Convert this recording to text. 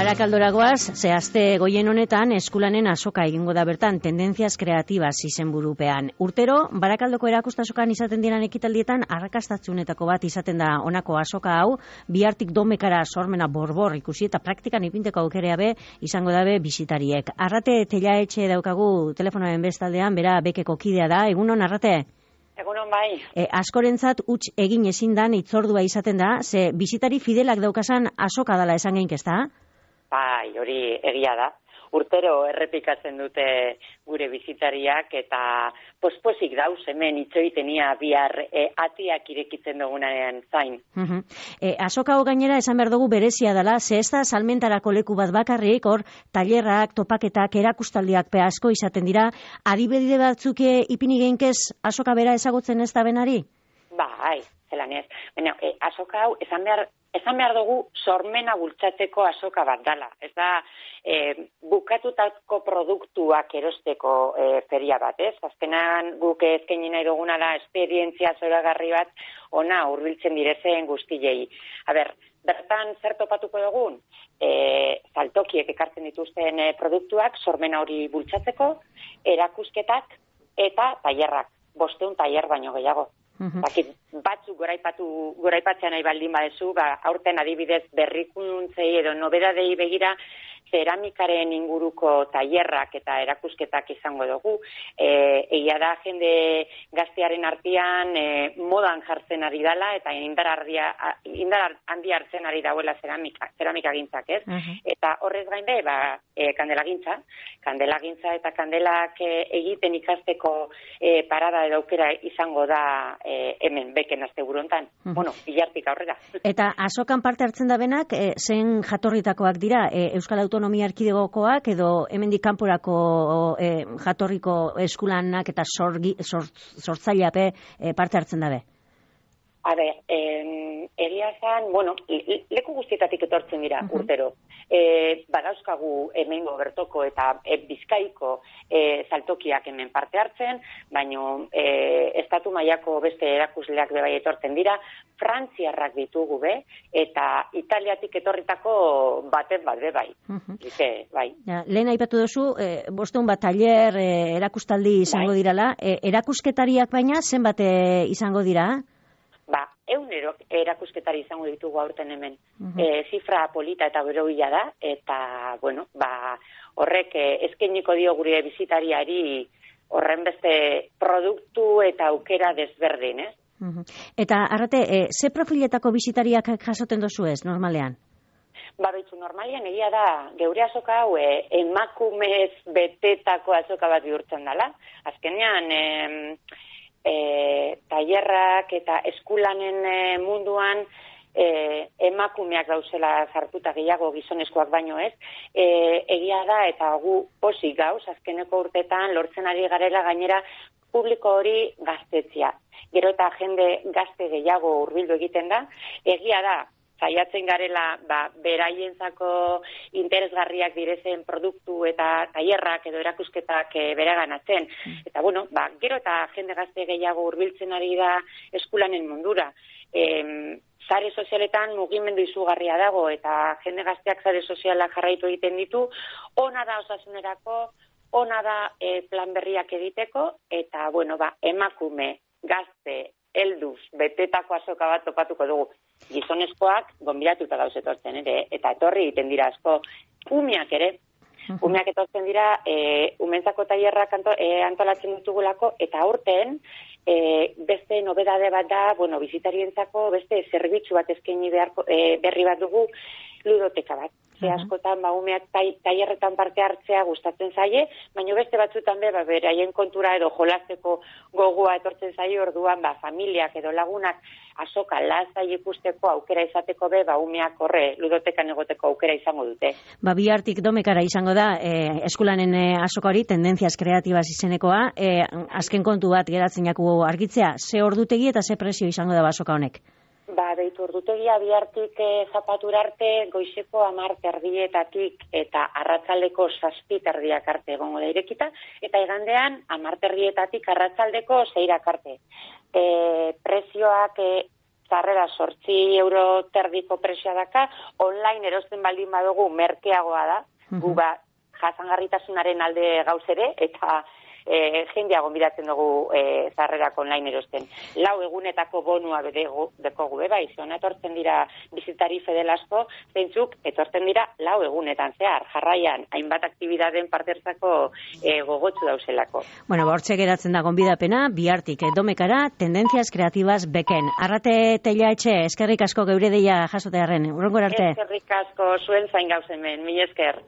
Barakaldoragoaz, zehazte goien honetan eskulanen azoka egingo da bertan, tendenzias kreatibas izenburupean. Urtero, Barakaldoko erakustasokan izaten diran ekitaldietan, arrakastatzuenetako bat izaten da honako azoka hau, bihartik domekara sormena borbor ikusi eta praktikan ipinteko aukerea be, izango dabe bisitariek. Arrate Telaetxe daukagu telefonoen bestaldean, bera bekeko kidea da, egunon Arrate? Egunon bai. Askorentzat huts egin ezin dan itzordua izaten da, ze bisitari fidelak daukasan azoka dala esan geink ezta? Bai, hori egia da. Urtero errepikatzen dute gure bizitariak eta pospozik dauz hemen itxoitenia bihar atiak irekitzen dugunanean zain. Azoka hau gainera esan behar dugu berezia dela, ze ez da salmentarako leku bat bakarrik, hor tailerrak, topaketak, erakustaldiak pe asko izaten dira, adibide batzuk ipini geinkez azoka bera ezagutzen ez da benari? Bai, zelan ez. Azoka hau esan behar dugu sormena bultzatzeko azoka bat dala. Ez da bukatutako produktuak erosteko feria bat, ez? Azkenan guk eskaini nahi duguna da esperientzia zoragarri bat ona hurbiltzen direzen guztiei. Bertan zer topatuko dugun? Saltokiek ekartzen dituzten produktuak sormena hori bultzatzeko, erakusketak eta tailerrak. 500 tailer baino gehiago. Batzuk goraipatzea nahi baldin badezu, aurten adibidez berrikuntzei edo nobedadei begira zeramikaren inguruko tailerrak eta erakusketak izango dugu. Egia da jende gaztearen artean modan jartzen ari dela eta indar handi hartzen ari dauela zeramika gintzak, ez? Eta horrez gain be, kandelagintza eta kandelak egiten ikasteko parada edo aukera izango da hemen beken asteburu hontan. Bihartik aurrera. Eta azokan parte hartzen da benak, zen jatorritakoak dira, Euskal Autonomia Erkidegokoak edo hemendik kanporako jatorriko eskulanak eta sortzaileape parte hartzen dabe? Egia zan, leku guztietatik etortzen dira urtero. Badauzkagu hemengo bertoko eta bizkaiko saltokiak hemen parte hartzen, baino estatu mailako beste erakusleak bebai etortzen dira, frantziarrak ditugu be, eta Italiatik etorritako baten bat bebai. Bai. Lehen aipatu duzu, 500 bat tailer erakustaldi izango dirala, erakusketariak baina zenbat izango dira? 100 erakusketari izango ditugu aurten hemen. Zifra polita eta beroia da, eta, horrek eskainiko dio gure bizitariari horren beste produktu eta aukera desberdin, ez? Eta, Arrate, ze profiletako bizitariak jasoten dozu ez, normalean? Normalian egia da, geure azoka hau emakumez betetako azoka bat bihurtzen dela. Azkenean, tailerrak eta eskulanen munduan emakumeak dauzela sartuta gehiago gizonezkoak baino ez. Egia da eta gu pozik gauz, azkeneko urtetan lortzen ari garela gainera publiko hori gaztetzia. Gero eta jende gazte gehiago hurbildu egiten da. Egia da, saiatzen garela beraientzako interesgarriak direzen produktu eta tailerrak edo erakusketak bereganatzen. Eta gero eta jende gazte gehiago hurbiltzen ari da eskulanen mundura. Sare sozialetan mugimendu izugarria dago eta jende gazteak sare sozialak jarraitu egiten ditu, ona da osasunerako, ona da plan berriak egiteko, eta emakume, gazte, helduz, betetako azoka bat topatuko dugu. Gizonezkoak gonbidatuta dauz etortzen, eta etorri egiten dira asko. Umeak ere, umeak etortzen dira, umentzako tailerrak antolatzen ditugulako, eta aurten, beste nobedade bat da, bizitarientzako beste zerbitzu bat eskaini berri bat dugu, ludoteka bat. Askotan umeak tailerretan parte hartzea gustatzen zaie, baina beste batzutan beraien kontura edo jolasteko gogoa etortzen zaie, orduan familiak edo lagunak azoka lasai ikusteko aukera izateko umeak horre ludotekan egoteko aukera izango dute. Bihartik domekara izango da eskulanen azoka hori, tendenzias kreatibas izenekoa, azken kontu bat geratzen jaku argitzea, ze ordutegi eta ze prezio izango da azoka honek? Ordutegia bihartik zapatura arte, goizeko 10:00 eta arratsaldeko 7:00 arte egongo da irekita, eta igandean 10:00 arratsaldeko 6:00 arte. Prezioak zarrera 8 euro terdiko presioa daka, online erosten baldin badugu merkeagoa da, gu jasangarritasunaren alde gauzere, eta jendea gonbidatzen dugu zarrerak online erosten. 4 egunetako bonua dekogu, bai, ziona etortzen dira bizitari fedel asko, zeintzuk etortzen dira 4 egunetan zehar, jarraian, hainbat aktibidaden partertzako gogotsu dauzelako. Bueno, hortxe geratzen da gonbidapena, bihartik domekara, tendencias kreatibas beken. Arrate Teilaetxe, eskerrik asko geure deia jasotearren, urrengor arte. Eskerrik asko zuen zain gauzemen, mila esker.